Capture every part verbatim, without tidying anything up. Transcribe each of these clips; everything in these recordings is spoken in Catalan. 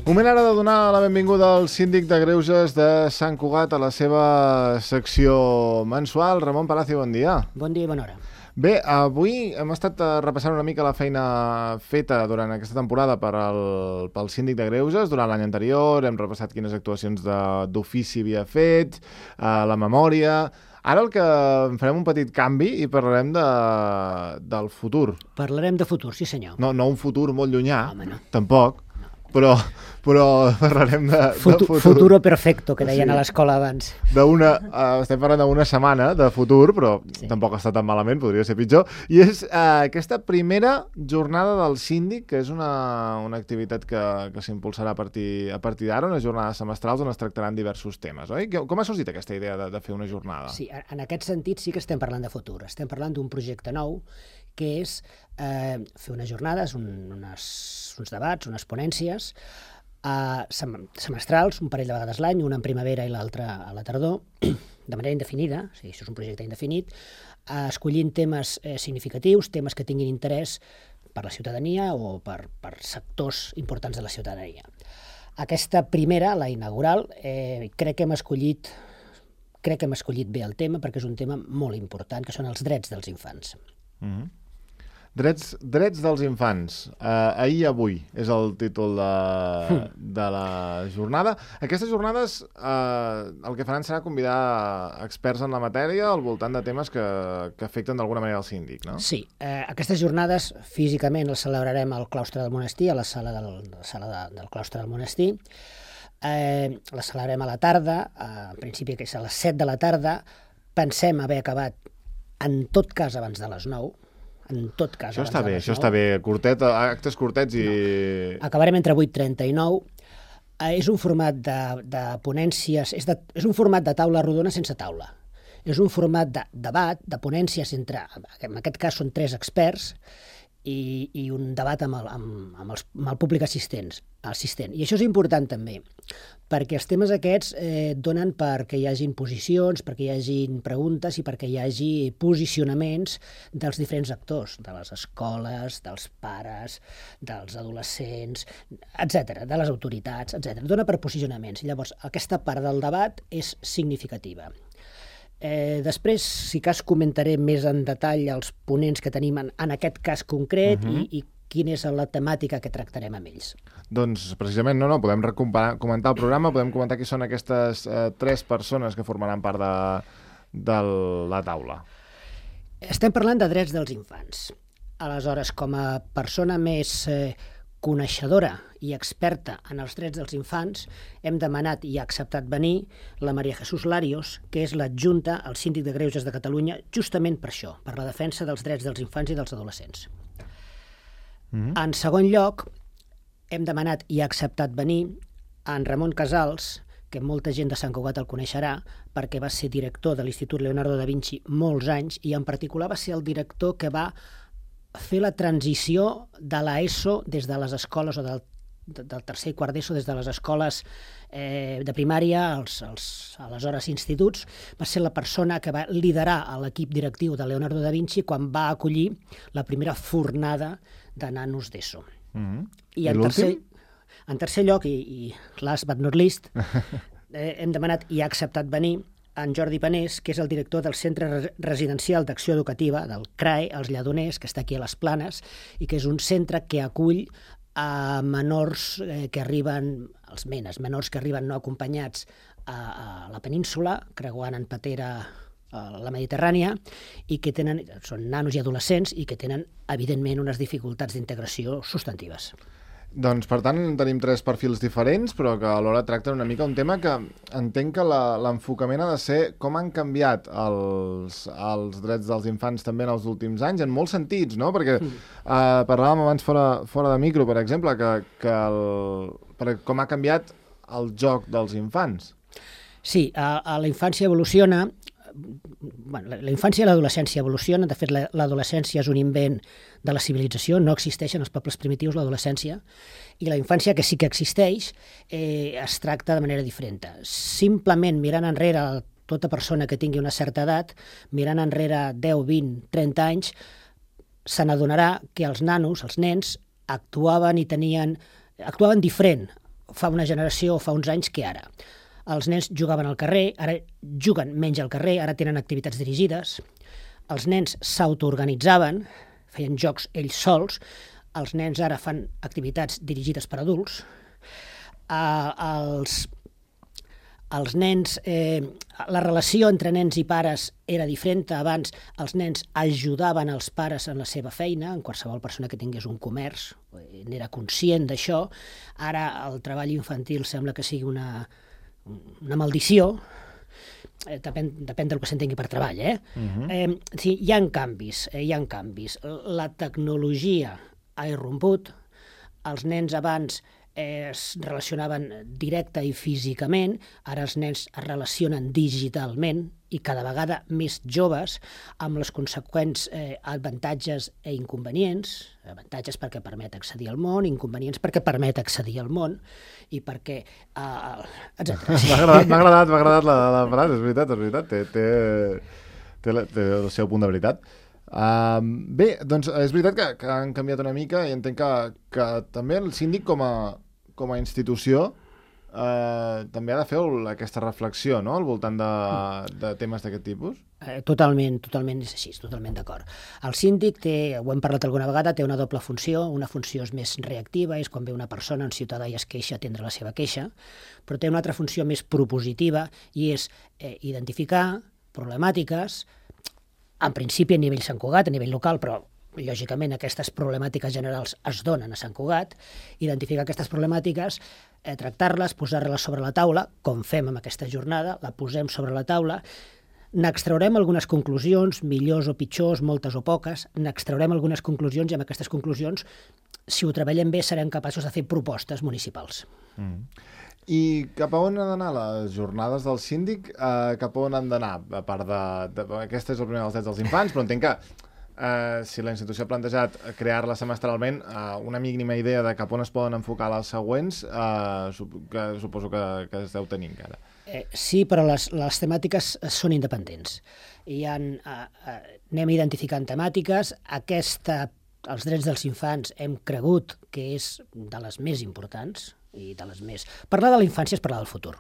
Moment ara de donar la benvinguda al síndic de Greuges de Sant Cugat a la seva secció mensual. Ramon Palacio, bon dia. Bon dia i bona hora. Bé, avui hem estat repassant una mica la feina feta durant aquesta temporada per al, pel síndic de Greuges. Durant l'any anterior hem repassat quines actuacions d'ofici havia fet, eh, la memòria. Ara el que farem un petit canvi i parlarem de, del futur. Parlarem de futur, sí senyor. No, no un futur molt llunyà, Home, no. tampoc, no. Però, però parlarem de, Futu, de futur. Futuro perfecto, que deien Sí. a l'escola abans. Una, uh, estem parlant d'una setmana de futur, però Sí. tampoc està tan malament, podria ser pitjor. I és uh, aquesta primera jornada del síndic, que és una, una activitat que, que s'impulsarà a partir, a partir d'ara, unes jornades semestrals on es tractaran diversos temes, oi? Com ha sorgit aquesta idea de, de fer una jornada? Sí, en aquest sentit sí que estem parlant de futur. Estem parlant d'un projecte nou que és eh, fer unes jornades, un, unes, uns debats, unes ponències eh, sem semestrals, un parell de vegades l'any, una en primavera i l'altra a la tardor, de manera indefinida, o sigui, això és un projecte indefinit, eh, escollint temes eh, significatius, temes que tinguin interès per la ciutadania o per, per sectors importants de la ciutadania. Aquesta primera, la inaugural, eh, crec que hem escollit crec que hem escollit bé el tema perquè és un tema molt important, que són els drets dels infants. Mm-hmm. Drets, drets dels infants. Uh, ahir i avui és el títol de, de la jornada. Aquestes jornades uh, el que faran serà convidar experts en la matèria al voltant de temes que, que afecten d'alguna manera el síndic, no? Sí, eh, aquestes jornades físicament les celebrarem al claustre del monestir, a la sala del, la sala de, del claustre del monestir. Eh, les celebrarem a la tarda, eh, en principi que és a les set de la tarda. Pensem haver acabat en tot cas abans de les nou. En tot cas, això està bé, això està bé. Curtet, actes curtets i... No. Acabarem entre vuit i trenta i nou. Eh, és un format de, de ponències, és, de, és un format de taula rodona sense taula. És un format de debat, de ponències entre, en aquest cas són tres experts, i, i un debat amb el, amb, amb, els, amb el públic assistents, assistent. I això és important també, perquè els temes aquests eh, donen perquè hi hagin posicions, perquè hi hagin preguntes i perquè hi hagi posicionaments dels diferents actors, de les escoles, dels pares, dels adolescents, etcètera, de les autoritats, etcètera. Dona per posicionaments. Llavors, aquesta part del debat és significativa. Eh, després, si cas, comentaré més en detall els ponents que tenim en, en aquest cas concret uh-huh. i, i quina és la temàtica que tractarem amb ells. Doncs precisament no, no, podem comentar el programa, podem comentar qui són aquestes eh, tres persones que formaran part de, de la taula. Estem parlant de drets dels infants. Aleshores, com a persona més eh, coneixedora i experta en els drets dels infants, hem demanat i ha acceptat venir la Maria Jesús Larios, que és l'adjunta al Síndic de Greuges de Catalunya, justament per això, per la defensa dels drets dels infants i dels adolescents. Mm-hmm. En segon lloc, hem demanat i ha acceptat venir en Ramon Casals, que molta gent de Sant Cugat el coneixerà, perquè va ser director de l'Institut Leonardo da Vinci molts anys i en particular va ser el director que va fer la transició de l'ESO des de les escoles o del, del tercer i quart d'ESO, des de les escoles eh, de primària als, als aleshores instituts. Va ser la persona que va liderar l'equip directiu de Leonardo da Vinci quan va acollir la primera fornada de nanos d'ESO. Mm-hmm. I, I en, tercer, en tercer lloc, i, i last but not least, eh, hem demanat i ha acceptat venir en Jordi Panés, que és el director del Centre Residencial d'Acció Educativa, del C R A E, els Lledoners, que està aquí a les Planes, i que és un centre que acull a menors eh, que arriben, els menes, menors que arriben no acompanyats a, a la península, creuant en patera a la Mediterrània, i que tenen, són nanos i adolescents, i que tenen, evidentment, unes dificultats d'integració substantives. Doncs, per tant, tenim tres perfils diferents, però que alhora tracten una mica un tema que entenc que l'enfocament ha de ser com han canviat els, els drets dels infants també en els últims anys, en molts sentits, no? Perquè mm. eh, parlàvem abans fora, fora de micro, per exemple, que, que el, per, com ha canviat el joc dels infants. Sí, a, a la infància evoluciona, bueno, la, la infància i l'adolescència evolucionen. De fet, l'adolescència és un invent de la civilització, no existeix en els pobles primitius l'adolescència, i la infància, que sí que existeix, eh, es tracta de manera diferent. Simplement mirant enrere tota persona que tingui una certa edat, mirant enrere deu, vint, trenta anys, se n'adonarà que els nanos, els nens, actuaven i tenien, actuaven diferent fa una generació o fa uns anys que ara. Els nens jugaven al carrer, ara juguen menys al carrer, ara tenen activitats dirigides. Els nens s'autoorganitzaven, feien jocs ells sols. Els nens ara fan activitats dirigides per adults. Uh, els, els nens, eh, la relació entre nens i pares era diferent. Abans els nens ajudaven els pares en la seva feina, en qualsevol persona que tingués un comerç, n'era conscient d'això. Ara el treball infantil sembla que sigui una, una maldició. Eh, depèn, depèn del que s'entengui per treball. Eh? Uh-huh. eh, sí, hi ha canvis, eh, hi ha canvis. La tecnologia ha irromput. Els nens abans eh, es relacionaven directa i físicament, ara els nens es relacionen digitalment i cada vegada més joves, amb les conseqüents eh, avantatges i inconvenients. Avantatges perquè permet accedir al món, inconvenients perquè permet accedir al món i perquè... Uh, etcètera. M'ha agradat, m'ha agradat, m'ha agradat la, la frase, és veritat, és veritat, té, té, té, la, té el seu punt de veritat. Uh, bé, doncs és veritat que, que han canviat una mica i entenc que, que també el síndic com a, com a institució uh, també ha de fer aquesta reflexió, no?, al voltant de, de temes d'aquest tipus. Eh, totalment, totalment és així, totalment d'acord. El síndic té, ho hem parlat alguna vegada, té una doble funció. Una funció és més reactiva, és quan ve una persona, un ciutadà i es queixa, atendre la seva queixa, però té una altra funció més propositiva i és eh, identificar problemàtiques, en principi a nivell Sant Cugat, a nivell local, però lògicament aquestes problemàtiques generals es donen a Sant Cugat, identificar aquestes problemàtiques, eh, tractar-les, posar-les sobre la taula, com fem amb aquesta jornada, la posem sobre la taula, n'extraurem algunes conclusions, millors o pitjors, moltes o poques, n'extraurem algunes conclusions i amb aquestes conclusions, si ho treballem bé, serem capaços de fer propostes municipals. Mm. I cap a on han d'anar les jornades del síndic? Uh, cap a on han d'anar? A part de, de... Aquesta és el primer dels drets dels infants, però entenc que uh, si la institució ha plantejat crear-la semestralment, uh, una mínima idea de cap on es poden enfocar les següents, uh, sup que, suposo que, que es deu tenir encara. Eh, sí, però les, les temàtiques són independents. Hi ha, uh, uh, anem identificant temàtiques. Aquesta, els drets dels infants, hem cregut que és de les més importants, i de les més... Parlar de la infància és parlar del futur.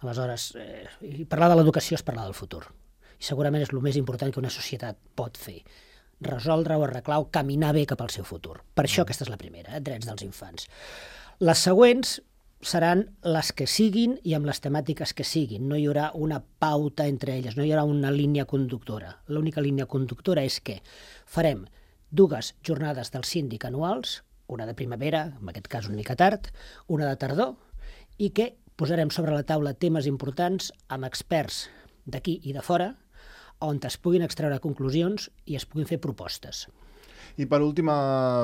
Aleshores, eh, parlar de l'educació és parlar del futur. I segurament és el més important que una societat pot fer. Resoldre o arreglar o caminar bé cap al seu futur. Per això aquesta és la primera, eh, drets dels infants. Les següents seran les que siguin i amb les temàtiques que siguin. No hi haurà una pauta entre elles, no hi haurà una línia conductora. L'única línia conductora és que farem dues jornades del síndic anuals, una de primavera, en aquest cas una mica tard, una de tardor, i que posarem sobre la taula temes importants amb experts d'aquí i de fora, on es puguin extreure conclusions i es puguin fer propostes. I per última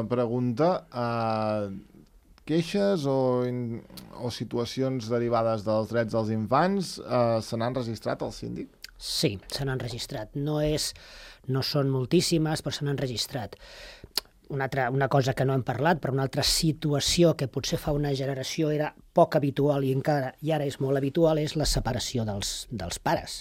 pregunta, eh, queixes o, in, o situacions derivades dels drets dels infants eh, se n'han registrat al síndic? Sí, se n'han registrat. No, és, no són moltíssimes, però se n'han registrat. Una, altra, una cosa que no hem parlat, però una altra situació que potser fa una generació era poc habitual i encara i ara és molt habitual, és la separació dels, dels pares.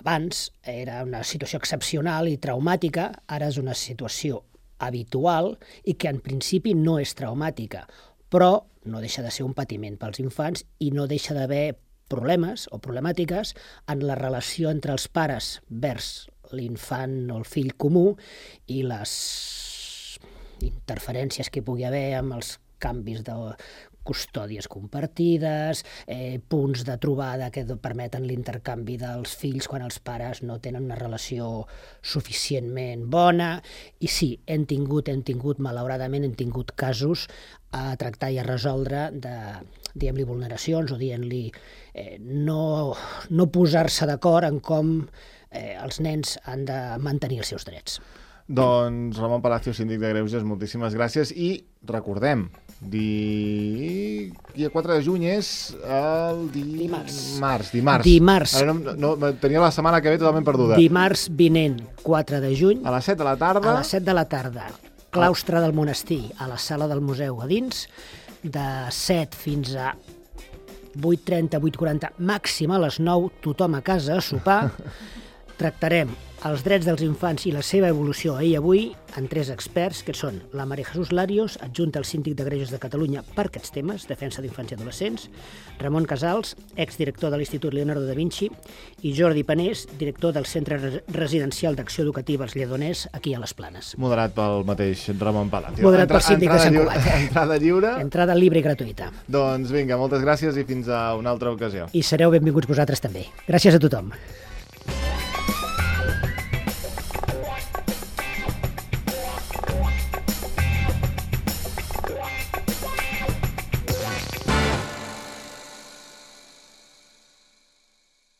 Abans era una situació excepcional i traumàtica, ara és una situació habitual i que en principi no és traumàtica, però no deixa de ser un patiment pels infants i no deixa d'haver problemes o problemàtiques en la relació entre els pares vers l'infant o el fill comú i les interferències que hi pugui haver amb els canvis de custòdies compartides, eh, punts de trobada que permeten l'intercanvi dels fills quan els pares no tenen una relació suficientment bona. I sí, hem tingut, hem tingut, malauradament, hem tingut casos a tractar i a resoldre de, diguem-li, vulneracions o dient-li eh, no, no posar-se d'acord en com eh, els nens han de mantenir els seus drets. Doncs Ramon Palacio, síndic de Greuges, moltíssimes gràcies i recordem, di... dia quatre de juny és el di... dimarts. Març, dimarts. Dimarts. Ara no, no, tenia la setmana que ve totalment perduda. Dimarts vinent, quatre de juny. A les set de la tarda. A les set de la tarda. Claustre del monestir, a la sala del museu a dins, de set fins a vuit trenta, vuit quaranta, màxim a les nou, tothom a casa a sopar. tractarem els drets dels infants i la seva evolució ahir i avui en tres experts, que són la Maria Jesús Larios, adjunta al Síndic de Greuges de Catalunya per aquests temes, defensa d'infants i adolescents, Ramon Casals, exdirector de l'Institut Leonardo da Vinci, i Jordi Panés, director del Centre Residencial d'Acció Educativa als Lledoners, aquí a les Planes. Moderat pel mateix Ramon Palacio. Moderat pel síndic de Sant Cugat. Entrada lliure. Entrada lliure i gratuïta. Doncs vinga, moltes gràcies i fins a una altra ocasió. I sereu benvinguts vosaltres també. Gràcies a tothom.